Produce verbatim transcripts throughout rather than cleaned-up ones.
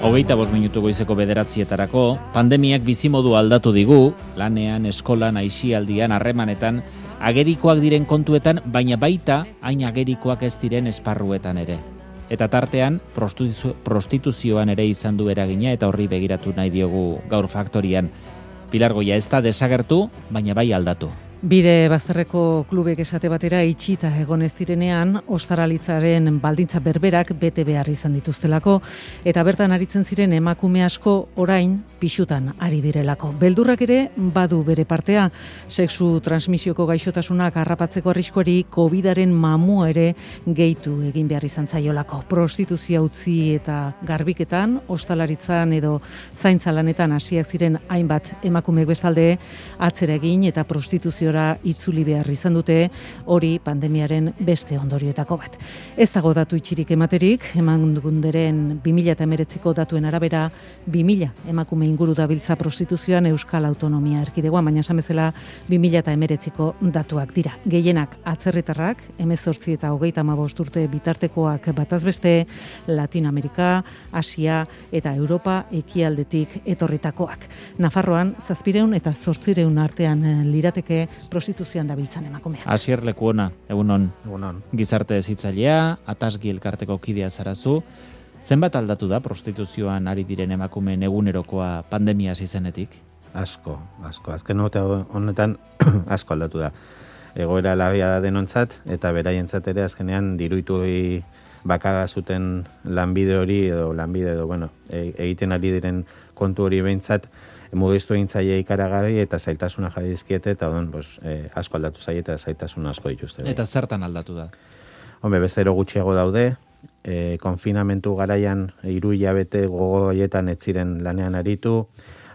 Hogeita bost minutu goizeko bederatzietarako, pandemiak bizimodu aldatu digu, lanean, eskolan, aisialdian, harremanetan, agerikoak diren kontuetan, baina baita hain agerikoak ez diren esparruetan ere. Eta tartean, prostituzioan ere izan du eragina eta horri begiratu nahi diogu gaur faktorian. Pilar Goia ez da desagertu, baina bai aldatu. Bide bazterreko klubek esate batera itxita egon ez direnean, ostaralitzaren baldintza berberak bete behar izan dituztelako, eta bertan aritzen ziren emakume asko orain pisutan ari direlako. Beldurrak ere badu bere partea, sexu transmisioko gaixotasunak harrapatzeko arriskuari covidaren mamua ere gehitu egin behar izan zaiolako. Prostituzioa utzi eta garbiketan, ostalaritzan edo zaintza lanetan hasiak ziren hainbat emakumeek bestalde atzera egin eta prostituzio itzuli behar izan dute, hori pandemiaren beste ondorioetako bat. Ez dago datu itxirik ematerik, Emakunderen bi mila hemeretziko datuen arabera, bi mila emakume inguru dabiltza prostituzioan Euskal Autonomia Erkidegoan, baina esan bezala bi mila hemeretziko datuak dira. Gehienak atzerritarrak, hemezortzi eta hogeita hamabost urte bitartekoak bataz beste, Latinoamerika, Asia eta Europa ekialdetik etorritakoak. Nafarroan, zazpireun eta zortzireun artean lirateke prostituzioan dabiltzan emakumeak. Asier Lekuona, egunon. Egunon. Gizarte hezitzailea, Atasgi elkarteko kidea zarazu. Zenbat aldatu da prostituzioan ari diren emakumeen egunerokoa pandemia hasi zenetik? Asko, asko. Azken urte honetan asko aldatu da. Egoera larria da denontzat eta beraientzat ere azkenean diruitu bakarra zuten lanbide hori edo lanbide edo bueno, egiten ari diren kontu hori behintzat mugistu egin zaie ikaragarri eta zailtasuna jarri dizkiete eta odon pues, eh, asko aldatu zaie eta zailtasun asko dituzte. Eta zertan aldatu da? Hombre, bezero gutxiago daude, eh, konfinamentu garaian hiru hilabete gogo horietan ez ziren lanean aritu,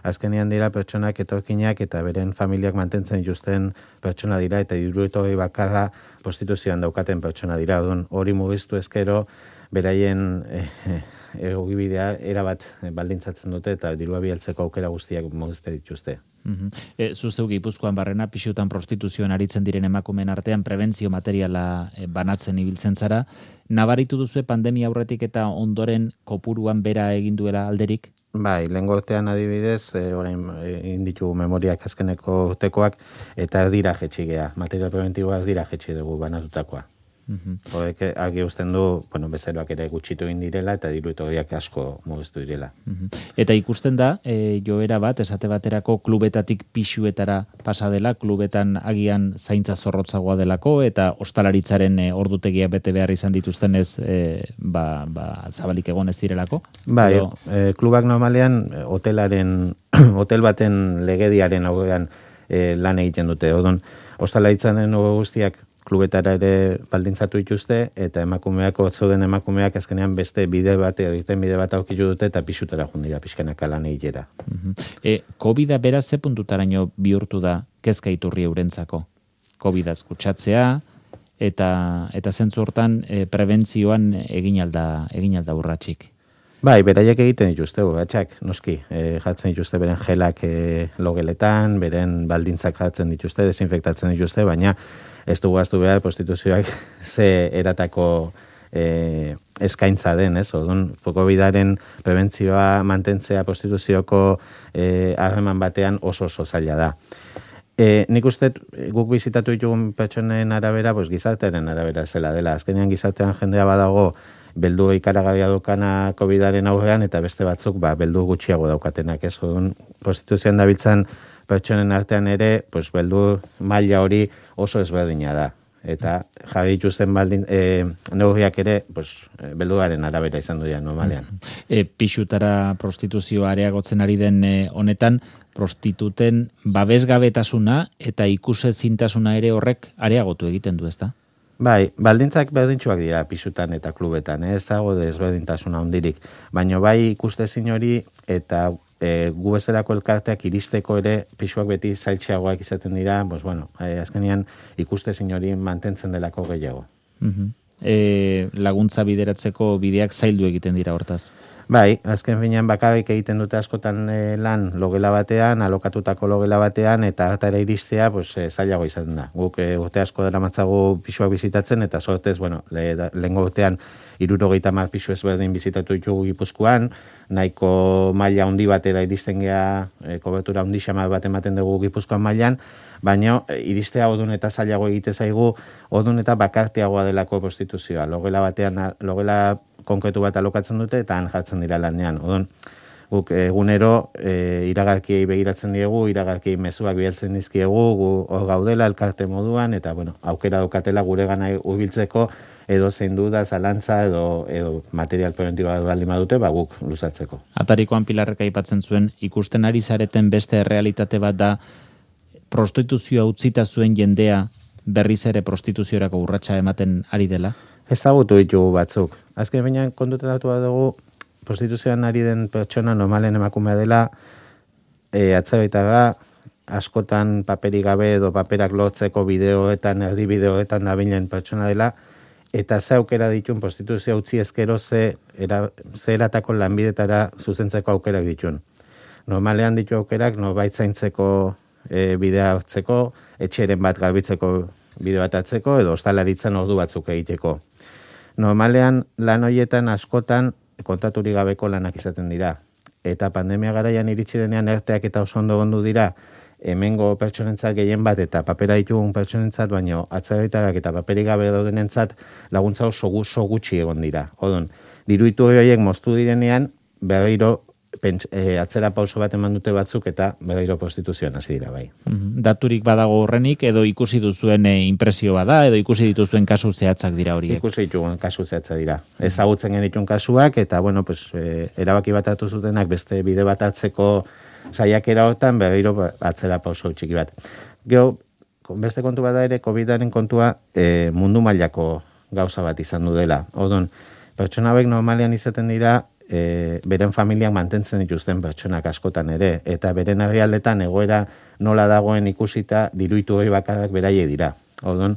azkenean dira pertsonak etorkinak eta beren familiak mantentzen dituzten pertsona dira eta dirueto bakarra prostituzioan daukaten pertsona dira. Odon hori mugistu ezkero beraien eh, egokibidea erabat baldintzatzen dute eta dirua bialtzeko aukera guztiak mugizte dituzte. Uh-huh. E, Zuzeu Gipuzkoan barrena pisutan prostituzioan aritzen diren emakumeen artean prebentzio materiala e, banatzen ibiltzen zara. Nabaritu duzu pandemia aurretik eta ondoren kopuruan bera egin duela alderik? Bai, lehen gortean adibidez, e, orain egin ditugu memoriak azkeneko urtekoak eta dira jetxigea. Material preventiboa dira jetxi dugu banatutakoa. Uh-huh. Horrek argi uzten du, bueno, bezeroak ere gutxitu egin direla eta diruetoriak asko mugiztu direla. Uh-huh. Eta ikusten da, e, joera bat, esate baterako klubetatik pisuetara pasa dela, klubetan agian zaintza zorrotzagoa delako eta ostalaritzaren e, ordutegia bete behar izan dituztenez e, ba, ba, zabalik egon ez direlako? Bai, Edo... e, klubak normalean hotelaren, hotel baten legediaren aurrean e, lan egiten dute. Odon, ostalaritzaren guztiak klubetara ere baldintzatu dituzte eta emakumeak, otzoden emakumeak azkenean beste bide bat, egiten bide bat aukitu dute eta pisutara jundira, pixkanaka lan egitera. Uh-huh. E, Covida beraz ze puntutaraino bihurtu da kezka iturri eurentzako? Covidaz kutsatzea eta eta zentzu hortan e, prebentzioan egin alda, egin alda urratsik. Bai, beraiek egiten dituzte, urratsak, noski, e, jartzen dituzte beren gelak e, logeletan, beren baldintzak jartzen dituzte, desinfektatzen dituzte, baina ez dugu aztu behar prostituzioak ze eratako e, eskaintza den, ez? Odun, Covidaren prebentzioa mantentzea prostituzioko harreman e, batean oso oso zaila da. E, nik uste guk bizitatu ditugun pertsonen arabera, pues, gizartearen arabera zela dela. Azkenean gizartean jendea badago beldu ikaragarria daukana Covidaren aurrean eta beste batzuk ba, beldu gutxiago daukatenak. Ez? Odun, prostituzioan dabiltzan pertsonen artean ere, pues, beldu maila hori oso ezberdina da. Eta jarri dituzten baldin, e, neurriak ere, pues, belduaren arabera izan dira normalean. E, pixutara prostituzioa areagotzen ari den e, honetan, prostituten babesgabetasuna eta ikusezintasuna ere horrek areagotu egiten du, ezta? Bai, baldintzak berdintsuak dira pisutan eta klubetan, eh? Ez dago desberdintasuna hondirik. Baina bai ikustezin hori eta e, gu bezalako elkarteak iristeko ere pisuak beti zailtxeagoak izaten dira, pues bueno, e, azkenean ikustezin hori mantentzen delako gehiago. Uh-huh. E, laguntza bideratzeko bideak zaildu egiten dira hortaz? Bai, azken finean bakarrik egiten dute askotan e, lan logela batean, alokatutako logela batean, eta hartara iristea pues, e, zailago izan da. Guk e, urte asko daramatzagu pisuak bizitatzen, eta sortez, bueno, le, da, lehengo urtean hirurogeita hamar pisu ezberdin bizitatu ditugu Gipuzkoan, nahiko maila handi batera iristen gea, e, kobertura handi xamar bat ematen dugu Gipuzkoan mailan, baina e, iristea odun eta zailago egite zaigu, odun eta bakarteagoa delako prostituzioa. Logela batean, logela konkretu bat alokatzen dute eta han jartzen dira lanean. Odon, guk egunero e, iragarkiei begiratzen diegu, iragarkiei mezuak bialtzen dizkiegu, gu hor gaudela elkarte moduan, eta bueno, aukera daukatela gure gana hurbiltzeko edo zein duda, zalantza edo, edo material preventiboa baldin badute, ba guk luzatzeko. Atarikoan Pilarrek aipatzen zuen, ikusten ari zareten beste realitate bat da, prostituzioa utzita zuen jendea berriz ere prostituziorako urratsa ematen ari dela? Ezagutu ditugu batzuk. Azken baina kontutan datu bat dugu, prostituzioan ari den pertsona normalen emakumea dela, e, atzeraita askotan paperik gabe edo paperak lotzeko bideoetan, erdi bideoetan dabilen pertsona dela, eta ze aukera ditun prostituzioa utzi ezkero ze, era, ze eratako lanbidetara zuzentzeko aukerak ditun. Normalean ditu aukerak norbait zaintzeko e, bidea hartzeko, etxeren bat garbitzeko bide bat hartzeko, edo ostalaritzan ordu batzuk egiteko. Normalean lan horietan askotan kontaturik gabeko lanak izaten dira. Eta pandemia garaian iritsi denean erteak eta oso ondo gondu dira, hemengo pertsonentzat gehien bat eta papera ditugun pertsonentzat, baino atzerritarrak eta paperik gabe daudenentzat laguntza oso, oso gutxi egon dira. Odon, diruitu horiek moztu direnean, berriro Pents, e, atzera pauso bat eman dute batzuk eta berriro prostituzioan hasi dira bai. Daturik badago horrenik edo ikusi duzuen e, impresio bada edo ikusi dituzuen kasu zehatzak dira horiek? Ikusi ditugun kasu zehatzak dira. Ezagutzen genitun kasuak eta bueno, pues, e, erabaki bat hartu zutenak beste bide bat hartzeko saiakera hortan berriro atzera pauso txiki bat. Gero, beste kontu bada ere, COVIDaren kontua e, mundu mailako gauza bat izan du dela. Odon, pertsona hauek normalean izaten dira E, beren familiak mantentzen dituzten pertsonak askotan ere, eta beren herrialdetan egoera nola dagoen ikusita diruitu hori bakarrak beraie dira. Odon,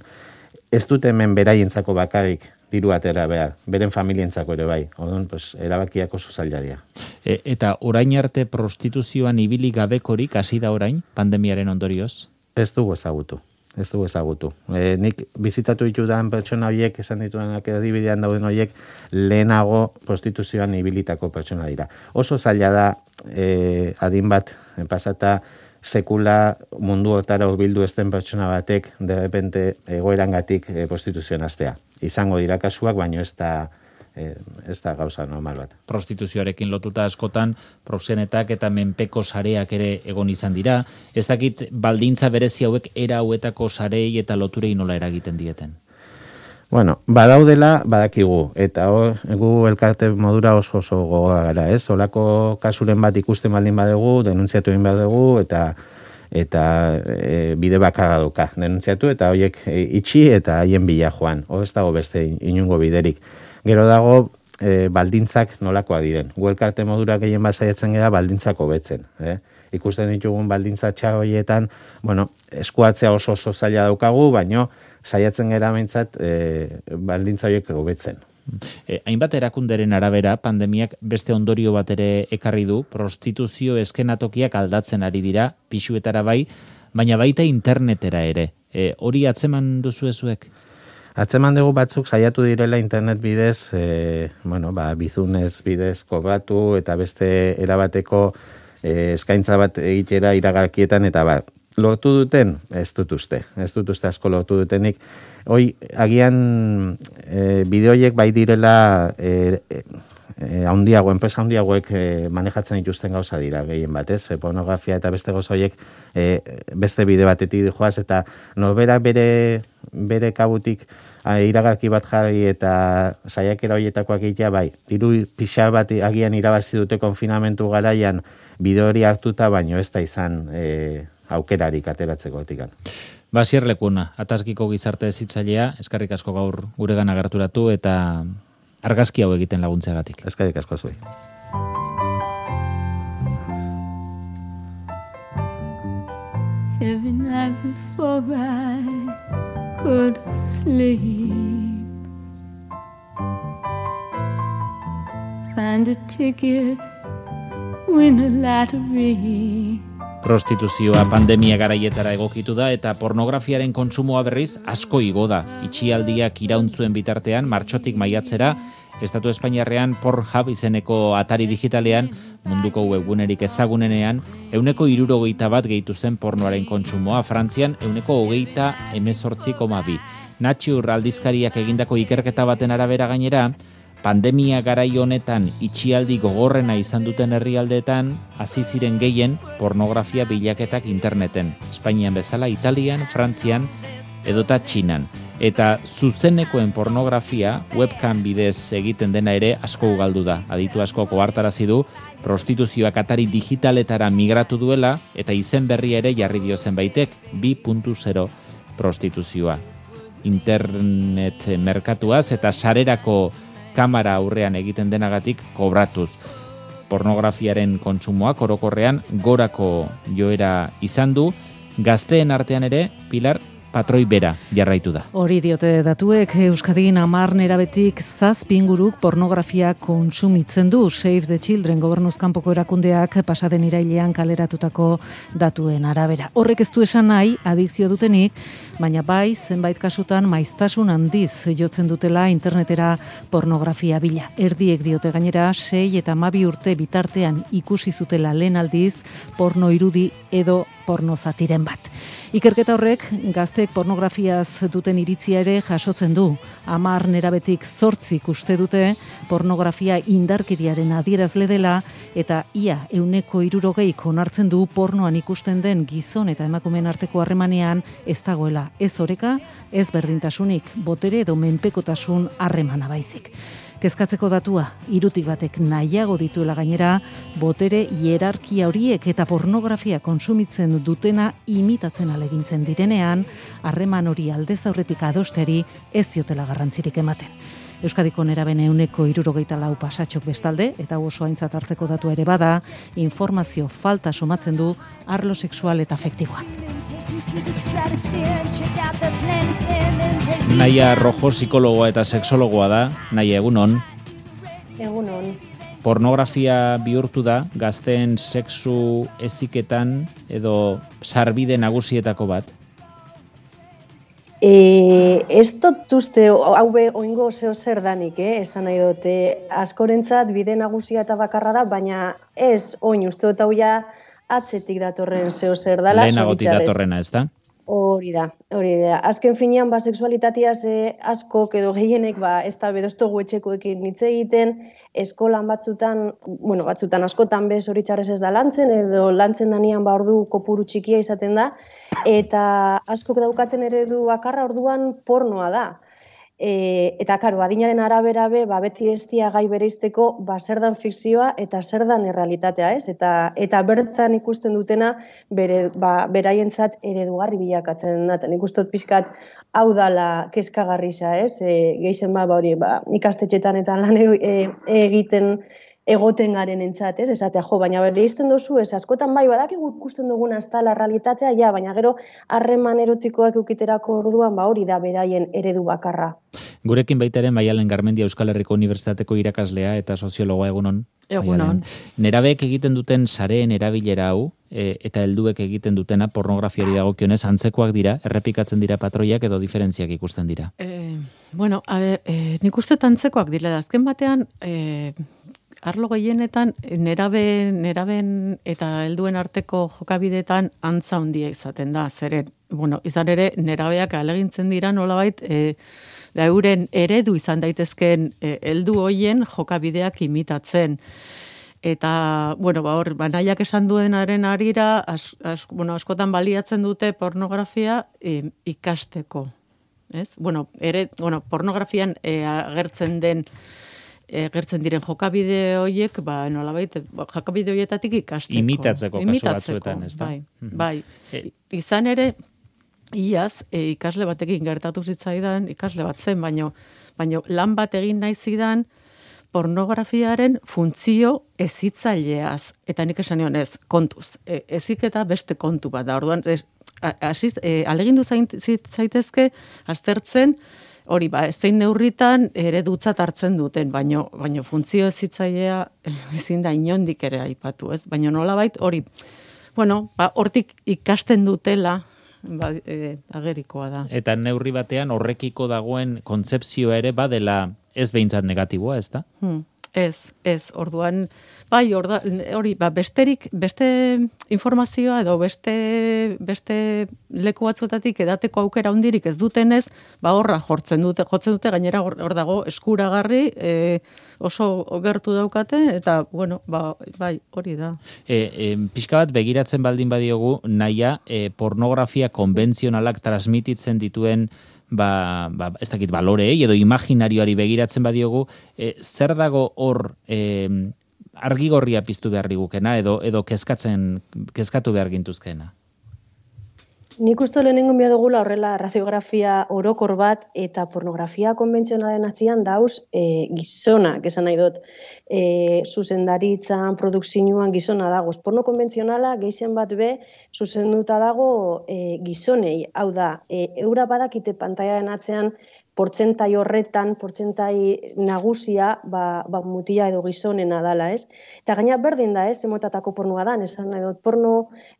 ez dute hemen beraientzako bakarrik diru atera behar, beren familientzako ere bai. Odon, pues, erabakiak oso zaila dira. E, eta orain arte prostituzioan ibili gabekorik hasi da orain, pandemiaren ondorioz? Ez dugu ezagutu. Ez dugu ezagutu. E, nik bizitatu ditudan pertsona horiek, esan ditudanak erdibidean dauden horiek, lehenago prostituzioan ibilitako pertsona dira. Oso zaila da, e, adin bat, pasata sekula mundu hortara hurbildu ezten pertsona batek, de repente egoerangatik e, prostituzioan hastea. Izango dira kasuak, baino ez da, e, ez da gauza normal bat. Prostituzioarekin lotuta askotan proxenetak eta menpeko sareak ere egon izan dira. Ez dakit baldintza berezi hauek era hauetako sarei eta loturei nola eragiten dieten? Bueno, badaudela badakigu, eta hor, gu elkarte modura oso oso gogoa gara, ez? Olako kasuren bat ikusten baldin badugu, denuntziatu egin badugu, eta eta e, bide bakarra duka. Denuntziatu eta horiek e, itxi eta haien bila joan. Hor ez dago beste inungo biderik. Gero dago e, baldintzak nolakoa diren. Gu elkarte modura gehien bat saiatzen gara baldintzak hobetzen. Eh? Ikusten ditugun baldintza txar horietan, bueno, eskuatzea oso oso zaila daukagu, baino saiatzen gara behintzat e, baldintza horiek hobetzen. E, hainbat erakunderen arabera, pandemiak beste ondorio bat ere ekarri du, prostituzio eskenatokiak aldatzen ari dira, pisuetara bai, baina baita internetera ere. E, hori atzeman duzu ezuek? Atzeman dugu batzuk saiatu direla internet bidez, e, bueno, ba, bizunez bidez kobratu eta beste erabateko e, eskaintza bat egitera iragarkietan eta ba, lortu duten, ez dut uste, ez dut uste asko lortu dutenik. Hoi, agian e, bideoiek bai direla e, e, e, handiago, enpresa handiagoek e, manejatzen dituzten gauza dira, gehien bat, ez? E, pornografia eta beste gauza horiek e, beste bide batetik joaz, eta norberak bere, bere kabutik a, iragarki bat jarri eta saiakera horietakoak egitea, bai, diru pixa bat agian irabazi dute konfinamentu garaian bideo hori hartuta, baino ez da izan e, aukerarik ateratzeko otikan. Basier Lekuna, Atazkiko gizarte hezitzailea, eskerrik asko gaur guregana gerturatu eta argazki hau egiten laguntzeagatik. Eskerrik asko zuei. Every night before I go to sleep, find a ticket, win a lottery. Prostituzioa pandemia garaietara egokitu da eta pornografiaren kontsumoa berriz asko igo da. Itxialdiak irauntzuen bitartean, martxotik maiatzera, Estatu Espainiarrean Pornhub izeneko atari digitalean, munduko webgunerik ezagunenean, euneko hirurogeita bat gehitu zen pornoaren kontsumoa, Frantzian euneko hogeita hemezortzi koma bi. Nature aldizkariak egindako ikerketa baten arabera gainera, pandemia garai honetan itxialdi gogorrena izan duten herrialdeetan hasi ziren gehien pornografia bilaketak interneten. Espainian bezala, Italian, Frantzian edota Txinan. Eta zuzenekoen pornografia webcam bidez egiten dena ere asko ugaldu da. Aditu asko ohartarazi du prostituzioak atari digitaletara migratu duela eta izen berria ere jarri dio zenbaitek bi puntu zero prostituzioa. Internet merkatuaz eta sarerako kamera aurrean egiten denagatik kobratuz. Pornografiaren kontsumoak orokorrean gorako joera izan du, gazteen artean ere, Pilar, patroi bera jarraitu da. Hori diote datuek, Euskadin hamar nerabetik zazpi inguruk pornografia kontsumitzen du. Save the Children gobernuzkanpoko erakundeak pasaden irailean kaleratutako datuen arabera. Horrek ez du esan nahi adikzio dutenik, baina bai zenbait kasutan maiztasun handiz jotzen dutela internetera pornografia bila. Erdiek diote gainera sei eta hamabi urte bitartean ikusi zutela lehen aldiz porno irudi edo porno zatiren bat. Ikerketa horrek gazteek pornografiaz duten iritzia ere jasotzen du. Hamar nerabetik zortzik uste dute pornografia indarkeriaren adierazle dela eta ia euneko hirurogeik onartzen du pornoan ikusten den gizon eta emakumeen arteko harremanean ez dagoela ez oreka, ez berdintasunik, botere edo menpekotasun harremana baizik. Kezkatzeko datua, hirutik batek nahiago dituela gainera, botere hierarkia horiek eta pornografia kontsumitzen dutena imitatzen alegintzen direnean, harreman hori aldez aurretik adosteri ez diotela garrantzirik ematen. Euskadiko neraben euneko hirurogeita lau pasatxok bestalde, eta oso aintzat hartzeko datu ere bada, informazio falta somatzen du arlo sexual eta afektiboa. Naia Rojo psikologoa eta sexologoa da, Naia egunon. Egunon. Pornografia bihurtu da gazteen sexu heziketan edo sarbide nagusietako bat. E, ez dut uste, hau be, oingo zeo zer danik, eh? Esan nahi dute, askorentzat bide nagusia eta bakarra da, baina ez oin uste dut hau ja atzetik datorren zeo zer dala. Lehenagotik datorrena, ez da? Hori da, hori da. Azken finean, ba, seksualitateaz eh, askok edo gehienek, ba, ez da bedoztogu etxekoekin hitz egiten, eskolan batzutan, bueno, batzutan askotan bez hori txarrez ez da lantzen, edo lantzen danean ba ordu kopuru txikia izaten da, eta askok daukaten eredu bakarra orduan pornoa da. E, eta, karo, adinaren arabera be, ba, beti ez dia gai bereizteko, ba, zer dan fikzioa eta zer dan errealitatea, ez? Eta, eta bertan ikusten dutena, bere, ba, beraientzat eredugarri bilakatzen da. Nik uste dut pixkat hau dala kezkagarrisa, ez? E, Gehien ba, ba, hori, ba, ikastetxetan eta lan e, egiten egoten garen entzat, ez? Esatea, jo, baina berri izten duzu, ez? Askotan bai, badakigu ikusten duguna ez da la realitatea, ja, baina gero harreman erotikoak eukiterako orduan, ba hori da beraien eredu bakarra. Gurekin baitaren Maialen Garmendia Euskal Herriko Unibertsitateko irakaslea eta soziologoa egunon. Egunon. Nerabeek egiten duten sareen erabilera hau, e, eta helduek egiten dutena pornografiari dagokionez antzekoak dira, errepikatzen dira patroiak edo diferentziak ikusten dira. Eh, bueno, a ber, eh, nik uste antzekoak dira, azken batean, eh, arlo gehienetan nerabe, neraben eta helduen arteko jokabideetan antza handia izaten da, zeren, bueno, izan ere nerabeak alegintzen dira nolabait, e, da euren eredu izan daitezken e, heldu hoien jokabideak imitatzen. Eta, bueno, ba, hor, banaiak esan duenaren arira, as, as, bueno, askotan baliatzen dute pornografia e, ikasteko. Ez? Bueno, ere, bueno, pornografian e, agertzen den egertzen diren jokabide horiek, ba, nolabait, jokabide horietatik ikasteko. Imitatzeko kasu batzuetan, ez da? Bai, bai. E, Izan ere, iaz, e, ikasle batekin gertatu zitzaidan, ikasle bat zen, baino, baino lan bat egin nahi zidan pornografiaren funtzio ezitzaileaz. Eta nik esan nion ez, kontuz. E, eziketa beste kontu bat da. Orduan, ez, asiz, e, alegindu zaitezke, aztertzen, hori, ba, zein neurritan eredutzat hartzen duten, baino, baino funtzio ezitzailea ezin da inondik ere aipatu, ez? Baina nolabait hori, bueno, ba, hortik ikasten dutela, ba, e, agerikoa da. Eta neurri batean horrekiko dagoen kontzepzioa ere badela ez behintzat negatiboa, ez da? Hmm. Ez, ez, orduan, bai, orda, hori, ba, besterik, beste informazioa edo beste, beste leku batzuetatik edateko aukera hundirik ez dutenez, ba, horra jortzen dute, jotzen dute, gainera hor, hor dago eskuragarri, e, oso gertu daukate, eta, bueno, ba, bai, hori da. E, e, pixka bat begiratzen baldin badiogu, naia, e, pornografia konbentzionalak transmititzen dituen ba, ba, ez dakit baloreei edo imaginarioari begiratzen badiogu, e, zer dago hor e, argigorria piztu behar digukena edo, edo kezkatzen, kezkatu behar gintuzkena? Nik uste lehenengo bia dugula horrela radiografia orokor bat eta pornografia konbentzionalen atzian dauz e, gizonak, esan nahi dut, e, zuzendaritzan, produkzioan gizona dago. Porno konbentzionala gehien bat be zuzenduta dago e, gizonei. Hau da, e, eura badakite pantaiaren atzean portzentai horretan, portzentai nagusia, ba, ba mutila edo gizonena dala, ez? Eta gaina berdin da, ez, emotatako pornoa da, esan nahi dut, porno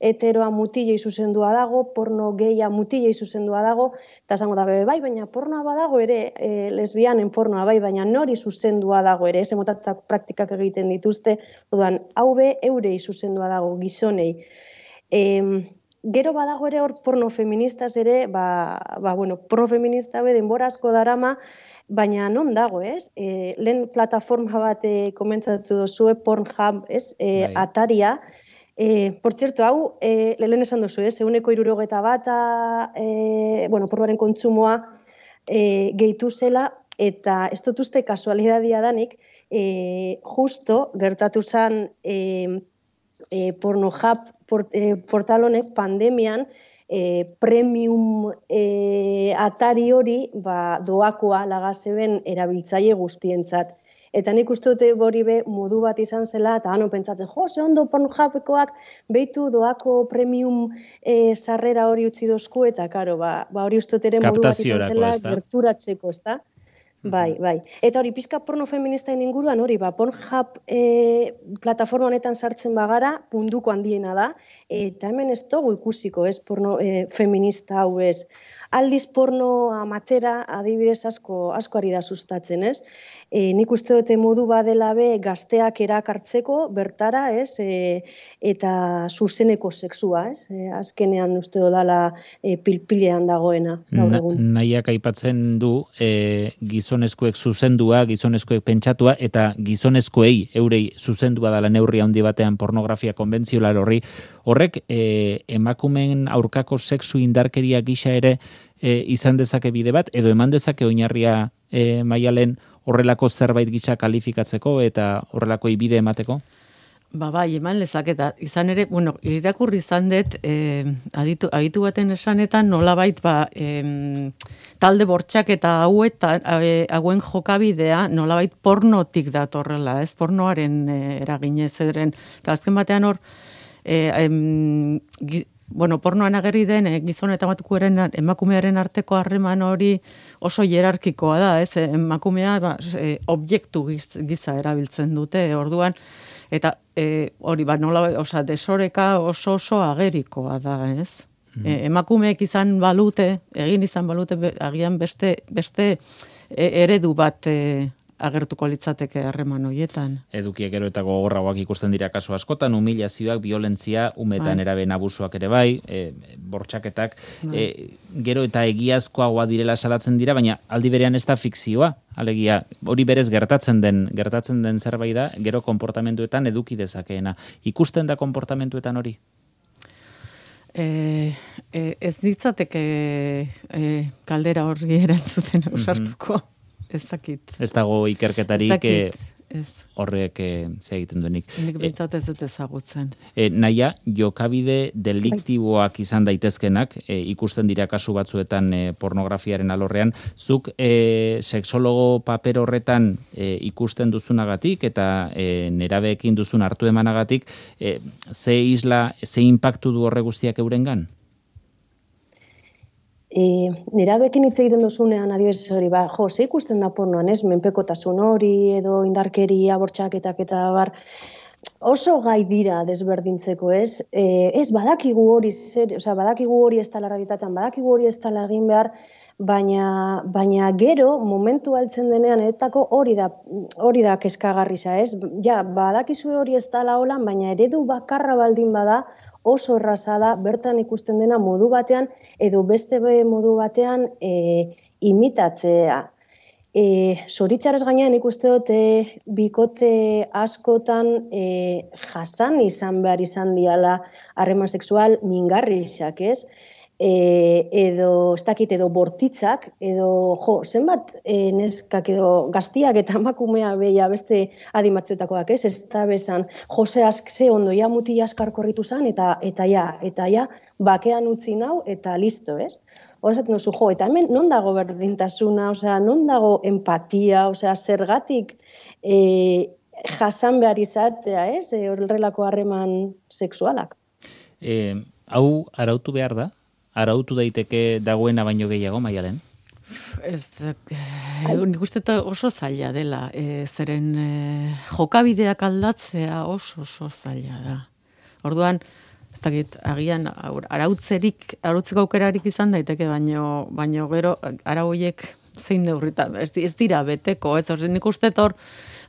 heteroa mutilei zuzendua dago, porno geia mutilei zuzendua dago, eta esango da, bai, baina pornoa badago ere, e, lesbianen pornoa, bai, baina nori zuzendua dago ere, ez, emotatako praktikak egiten dituzte, orduan, hau be, eurei zuzendua dago, gizonei. E, Gero badago ere hor porno feministaz ere, ba, ba, bueno, porno feminista be denbora asko darama, baina non dago, ez? E, lehen plataforma bat e, komentzatu duzue, Pornhub, ez? E, Ataria. E, por cierto, hau, e, lehen esan duzu, ez? Eguneko irurogeta bata, e, bueno, pornoaren kontsumoa e, gehitu zela, eta ez dut uste kasualidadia danik, e, justo gertatu zen e, e, Pornhub Port, eh, portal honek pandemian eh, premium eh, atari hori ba, doakoa lagazeben erabiltzaile guztientzat. Eta nik uste dute hori be modu bat izan zela, eta hano pentsatzen, jo, ze ondo Pornhubekoak behitu doako premium eh, sarrera hori utzi dozku, eta karo, ba, ba hori uste dut ere modu bat izan zela gerturatzeko, ez da? Bai, bai. Eta hori, pizka porno feministaen inguruan hori, ba, Pornhub e, plataforma honetan sartzen bagara, punduko handiena da, eta hemen ez dugu ikusiko, ez, porno e, feminista hau ez. Aldiz porno amatera adibidez asko, asko ari da sustatzen, ez? E, nik uste dute modu badela be gazteak erakartzeko bertara, ez? E, eta zuzeneko sexua, ez? E, azkenean uste dodala e, pilpilean dagoena. Na, nahiak aipatzen du e, gizonezkoek zuzendua, gizonezkoek pentsatua, eta gizonezkoei eurei zuzendua dala neurri handi batean pornografia konbentziolar horri, horrek e, emakumeen aurkako sexu indarkeria gisa ere e, izan dezake bide bat, edo eman dezake oinarria e, Maialen horrelako zerbait gisa kalifikatzeko eta horrelako ibide emateko? Ba, bai, eman lezaketa. Izan ere, bueno, irakurri izan dut, eh, aditu, aditu baten esanetan, nolabait, ba, eh, talde bortxak eta hauetan, eh, hauen jokabidea, nolabait pornotik datorrela, ez? Pornoaren eh, eraginez ederen. Eta azken batean hor, eh, em, gi, bueno, pornoan agerri den eh, gizon eta emakumearen arteko harreman hori oso hierarkikoa da, ez? Emakumea ba, eh, objektu giz, giza erabiltzen dute, orduan, eta e, hori, ba, nola, oza, desoreka oso oso agerikoa da, ez? Mm. E, emakumeek izan balute, egin izan balute, be, agian beste, beste e, eredu bat e, agertuko litzateke harreman horietan. Edukiek gero eta gogorragoak ikusten dira kasu askotan, humilazioak, violentzia, umetan bai. Eraben abusuak ere bai, e, bortxaketak, bai. e, gero eta egiazkoagoa direla salatzen dira, baina aldi berean ez da fikzioa. Alegia, hori berez gertatzen den, gertatzen den zerbait da, gero konportamentuetan eduki dezakeena. Ikusten da konportamentuetan hori? E, e, ez ditzateke e, kaldera horri erantzuten ausartuko. Mm-hmm. Ez dakit. Ez dago ikerketarik ez ez. Horrek e, ze egiten duenik. Nik bintzat ez dut ezagutzen. E, naia, jokabide deliktiboak izan daitezkenak, e, ikusten dira kasu batzuetan e, pornografiaren alorrean, zuk e, sexologo paper horretan e, ikusten duzunagatik eta e, nerabeekin duzun hartu emanagatik, e, ze isla, ze impactu du horre guztiak eurengan? E, nerabekin hitz egiten duzunean adibidez hori, ba, jo, ze ikusten da pornoan, ez, menpekotasun hori, edo indarkeria, bortxaketak eta bar, oso gai dira desberdintzeko, ez? E, ez badakigu hori zer, osea, badakigu hori ez dela realitatean, badakigu hori ez dela egin behar, baina, baina gero momentu altzen denean etako hori da hori da kezkagarrisa, ez? Ja, badakizu hori ez dela holan, baina eredu bakarra baldin bada, oso erraza da bertan ikusten dena modu batean edo beste modu batean e, imitatzea. E, Zoritxarrez gainean ikuste dut e, bikote askotan e, jasan izan behar izan diala harreman sexual mingarriak, ez? E, edo, ez dakit, edo bortitzak, edo, jo, zenbat e, neskak edo gaztiak eta emakumea beia beste adimatzuetakoak, ez? Ez da bezan, jose ask ze ondo, ja muti askar korritu zan, eta, eta ja, eta ja, bakean utzi nau, eta listo, ez? Hor esaten duzu, jo, eta hemen non dago berdintasuna, osea, non dago empatia, osea, zergatik e, jasan behar izatea, ez? E, horrelako harreman sexualak. E, hau arautu behar da? Arautu daiteke dagoena baino gehiago, Maialen? Ez, nik uste oso zaila dela, e, zeren e, jokabideak aldatzea oso oso zaila da. Orduan, ez dakit, agian arautzerik, arautzeko aukerarik izan daiteke, baino, baino gero arauiek zein neurrita, ez, ez dira beteko, ez, orduan nik uste hor,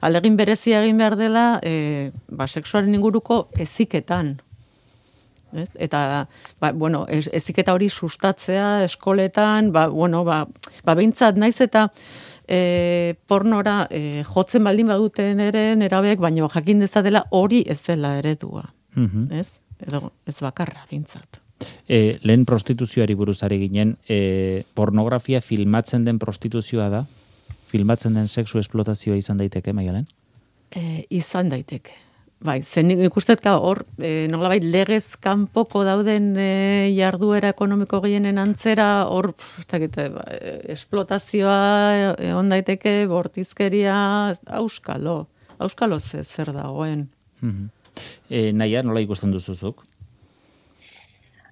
alegin berezia egin behar dela, e, ba, sexuaren inguruko eziketan. Ez? Eta, ba, bueno, ez, eziketa hori sustatzea eskoletan, ba, bueno, ba, ba behintzat naiz eta e, pornora e, jotzen baldin baduten ere nerabek, baina jakin dezatela hori ez dela eredua. Mm-hmm. Ez? Edo, ez bakarra behintzat. E, lehen prostituzioari buruzari ginen, e, pornografia filmatzen den prostituzioa da? Filmatzen den sexu esplotazioa izan daiteke, Maialen? E, izan daiteke. Bai, zen ikustet hor, e, nolabait legez kanpoko dauden e, jarduera ekonomiko gehienen antzera, hor, e, esplotazioa egon daiteke, bortizkeria, auskalo, auskalo ze zer dagoen. Mm-hmm. E, Naia, nola ikusten duzuzuk?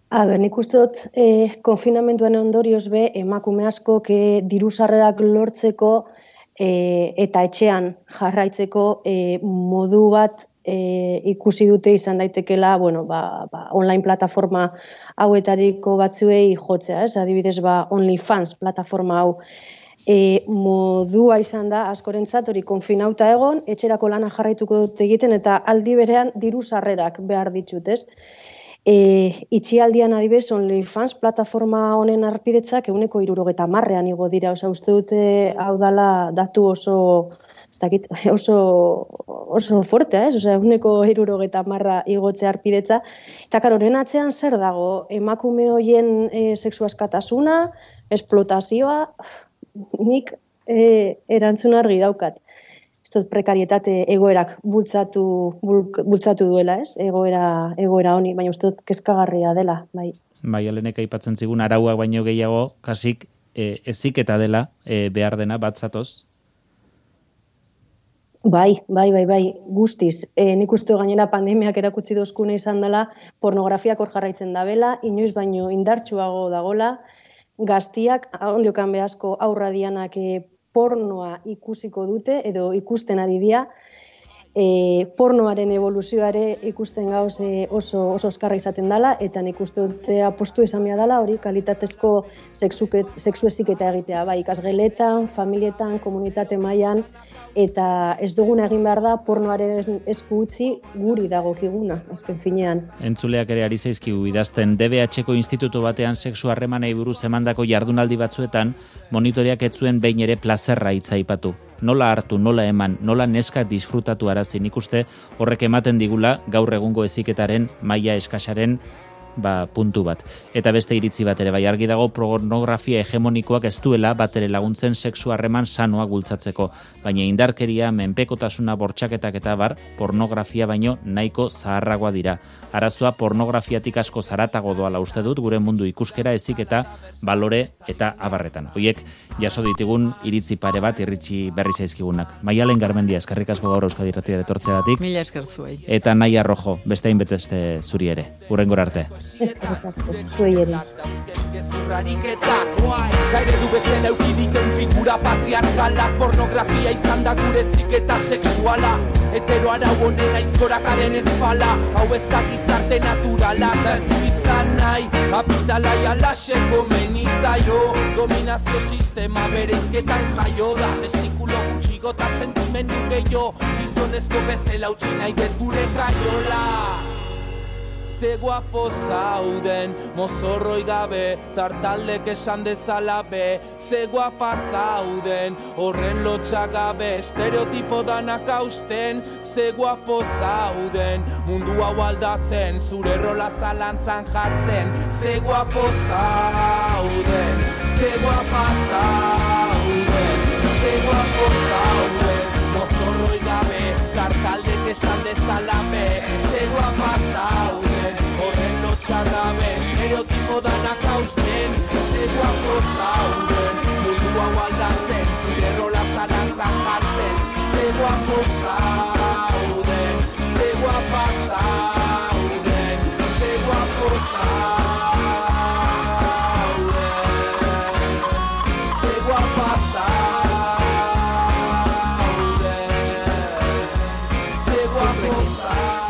A ber, nik uste dut e, konfinamentuan ondorioz be, emakume asko e, diru sarrerak lortzeko e, eta etxean jarraitzeko e, modu bat E, ikusi dute izan daitekela, bueno, ba, ba, online plataforma hauetariko batzuei jotzea, ez? Adibidez, ba, OnlyFans plataforma hau e, modua izan da askorentzat hori konfinauta egon, etxerako lana jarraituko dute egiten eta aldi berean diru sarrerak behar ditut, ez? E, itxialdian adibidez OnlyFans plataforma honen arpidetzak ehuneko hirurogeta hamarrean igo dira, osea uste dute hau dala datu oso ez dakit, oso, oso fortea, ez? Osea, ehuneko hirurogeta hamarra igotzea arpidetza. Eta karo, horren atzean zer dago? Emakume hoien e, sexu askatasuna, esplotazioa, nik e, erantzun argi daukat. Ez dut prekarietate egoerak bultzatu, bultzatu duela, ez? Egoera, egoera honi, baina uste dut kezkagarria dela, bai. Bai, alenek aipatzen zigun arauak baino gehiago, kasik e, eziketa dela e, behar dena bat zatoz. Bai, bai, bai, bai, guztiz. E, nik uste gainera pandemiak erakutsi dozkune izan dela, pornografiak hor jarraitzen dabela, inoiz baino indartsuago dagola, gaztiak, ondiokan behazko aurra dianak e, pornoa ikusiko dute, edo ikusten ari dia, e, pornoaren evoluzioare ikusten gauz e, oso, oso oskarra izaten dela, eta nik uste dute apostu izan behar dela, hori kalitatezko sexu eziketa egitea, bai, ikasgeletan, familietan, komunitate mailan, eta ez duguna egin behar da pornoaren esku utzi guri dagokiguna, azken finean. Entzuleak ere ari zaizkigu idazten D B H-ko institutu batean sexu harremanei buruz emandako jardunaldi batzuetan monitoreak ez zuen behin ere plazerra hitza aipatu. Nola hartu, nola eman, nola neska disfrutatu arazi, nik uste horrek ematen digula gaur egungo heziketaren maila eskasaren ba, puntu bat. Eta beste iritzi bat ere bai argi dago pornografia hegemonikoak ez duela bat ere laguntzen sexu harreman sanoa bultzatzeko, baina indarkeria, menpekotasuna, bortxaketak eta bar, pornografia baino nahiko zaharragoa dira. Arazoa pornografiatik asko zaratago doala uste dut, gure mundu ikuskera heziketa, balore eta abarretan. Hoiek jaso ditugun iritzi pare bat irritsi berri zaizkigunak. Maialen Garmendia, eskerrik asko gaur Euskadi Irratia etortzeagatik. Mila esker zuei. Eta Naia Rojo, beste hainbeste zuri ere. Hurrengora arte. Eskerrik asko, zuei ere. Gaire du bezala eukiditen figura patriarkalak, pornografia izan da gure ziketa sexuala, hetero arau honen aizkorakaden espala, hau ez da gizarte naturala, da ez du izan nahi, kapitalai alaseko menizaio, dominazio sistema bere izketan jaio da, testikulo gutxigo eta sentimendu gehiago, gizonezko bezala utzi nahi dut gure gaiola. Ze guapo zauden, mozorroi gabe, tartaldek esan dezala be. Ze guapa zauden, horren lotxak gabe, estereotipo danak hausten. Ze guapo zauden, mundu hau aldatzen, zure rola zalantzan jartzen. Ze guapo zauden, ze guapa zauden, ze guapo zauden, mozorroi gabe, tartaldek esan dezala be. Ze guapa zauden, horren lotxak gabe, estereotipo danak hausten. Ze guapo zauden, mundu hau aldatzen, zure rola zalantzan jartzen. Ze guapo zauden, ze guapa zauden, ze guapo zauden.